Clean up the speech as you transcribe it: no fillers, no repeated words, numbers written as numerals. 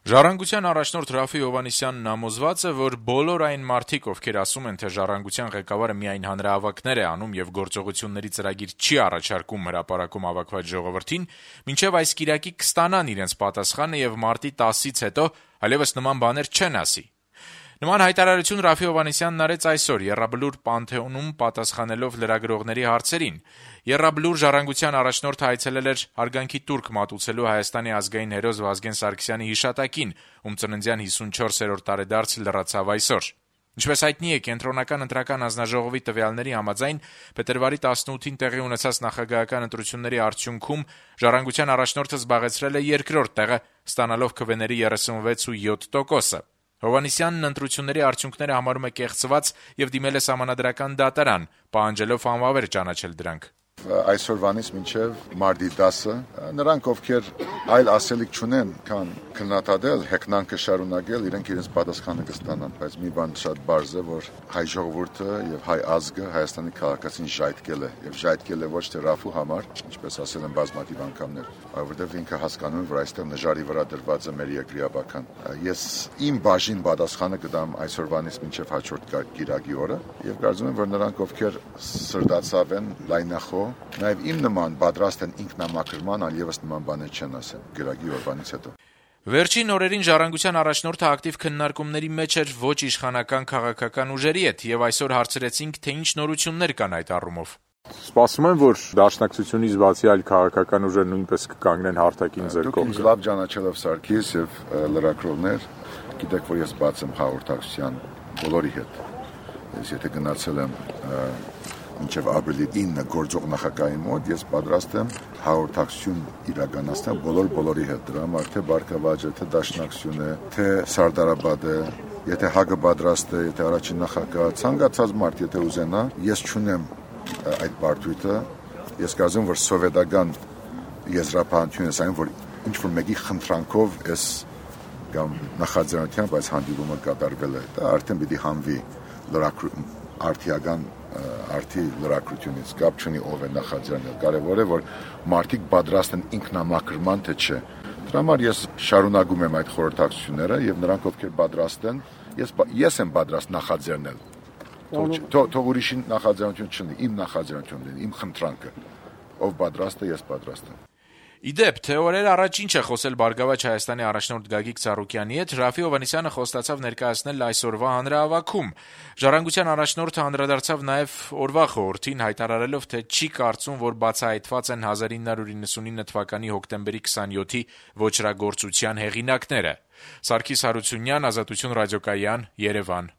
Ժառանգության առաջնորդ Րաֆֆի Հովհաննիսյանն համոզված է, որ բոլոր այն մարդիկ, ովքեր ասում են, թե Ժառանգության ղեկավարը միայն հանրահավաքներ է անում եւ գործողությունների ծրագիր չի առաջարկում հրապարակում հավաքված ժողովրդին, մինչեւ այս կիրակի կստանան իրենց պատասխանը եւ մարտի 10-ից հետո այլեւս նման բաներ չեն ասի։ Նման հայտարարություն Րաֆֆի Հովհաննիսյանն արեց այսօր Եռաբլուր Պանթեոնում պատասխանելով լրագրողների հարցերին։ Եռաբլուր ժառանգության առաջնորդը այցելել էր հարգանքի տուրք մատուցելու Հայաստանի ազգային հերոս Վազգեն Սարգսյանի հիշատակին, ում ծննդյան 54-րդ տարեդարձը լրացավ այսօր։ Ինչպես հայտնի է, Կենտրոնական ընտրական հանձնաժողովի տվյալների համաձայն փետրվարի 18-ին տեղի ունեցած նախագահական ընտրությունների արդյունքում ժառանգության առաջնորդը զբաղեցրել է երկրորդ տեղը, ստանալով քվեների 36.7%-ը։ Հովհաննիսյանն ընտրությունների արդյունքները համարում է կեղծված եւ դիմել է սահմանադրական դատարան, պահանջելով անվավեր ճանաչել դրանք։ Այսօրվանից մինչև մարտի 10-ը նրանք, ովքեր այլ ասելիք չունեն, քան քննադատել, հեգնանքը շարունակել, իրենք իրենց պատասխանը կստանան, բայց մի բան շատ բարձ է, որ հայ ժողովուրդը եւ հայ ազգը Հայաստանի քաղաքացին ժայթքել է, եւ ժայթքել է ոչ թե Րաֆֆու համար, ինչպես ասել են բազմաթիվ անգամներ, որովհետեւ ինքը հասկանում է, որ այստեղ նժարի վրա դրված է մեր երկրի ապական։ Ես իմ բաժին պատասխանը կտամ այսօրվանից մինչև հաջորդ կիրակի օրը, եւ կարծում եմ, որ նրանք, ովքեր սրտացավ են, լայնախոհ, նաև իմ նման պատրաստ են ինքնամաքրման, այլևս նման բաներ չեն ասել կիրակի օրվանից հետո։ Վերջին օրերին Ժառանգության առաջնորդը ակտիվ քննարկումների մեջ էր ոչ իշխանական քաղաքական ուժերի հետ եւ այսօր հարցրեցինք, թե ինչ նորություններ կան այդ առումով։ Սպասում եմ, որ Դաշնակցությունից բացի այլ քաղաքական ուժեր նույնպես կկանգնեն հարթակին ձեր կողմը։ Դուք լավ ճանաչելով Սարգիս եւ լրագրողներ, գիտեք, որ ես բաց եմ հաղորդակցության բոլորի հետ։ Ես եթե գնացել եմ մինչև ապրիլի 9-ը գործող նախագահի մոտ, ես պատրաստ եմ հաղորդակցություն իրականացնել բոլորի հետ, դրա համար թե Բարգավաճը, թե Դաշնակցությունը, թե Սարդարաբադը, եթե ՀԱԿ-ը պատրաստ է, եթե առաջին նախագահը, ցանկացած մարդ, եթե ուզենա, ես չունեմ այդ բարդույթը, ես կարծում եմ, որ սովետական եզրափոխությունը այն, որ ինչ-որ մեկի խնդրանքով ես կամ նախաձեռնությամբ այս հանդիպումը կատարվել է, դա արդեն պիտի հանվի արդի լրագրությունից, կապ չունի ով է նախաձեռնել, կարևոր է, որ մարդիկ պատրաստ են ինքնամաքրման, թե չէ։ Դրա համար ես շարունակում եմ այդ խորհրդակցությունները եւ նրանք, ովքեր պատրաստ են, ես եմ պատրաստ նախաձեռնել։ Թող ուրիշին նախաձեռնություն չլինի, իմ նախաձեռնությունն է, իմ խնդրանքը։ Ով պատրաստ է, ես պատրաստ եմ։ Իդեպ, թե օրեր առաջ ինչ է խոսել Բարգավաճ Հայաստանի առաջնորդ Գագիկ Ծառուկյանի հետ, Րաֆֆի Հովհաննիսյանը խոստացավ ներկայացնել այսօրվա հանրահավաքում։ Ժառանգության առաջնորդը անդրադարձավ նաև օրվա խորհրդին, հայտարարելով, թե չի կարծում, որ բացահայտված են 1999 թվականի հոկտեմբերի 27-ի ոճրագործության հեղինակները։ Սարգիս Հարությունյան, Ազատություն ռադիոկայան, Երևան։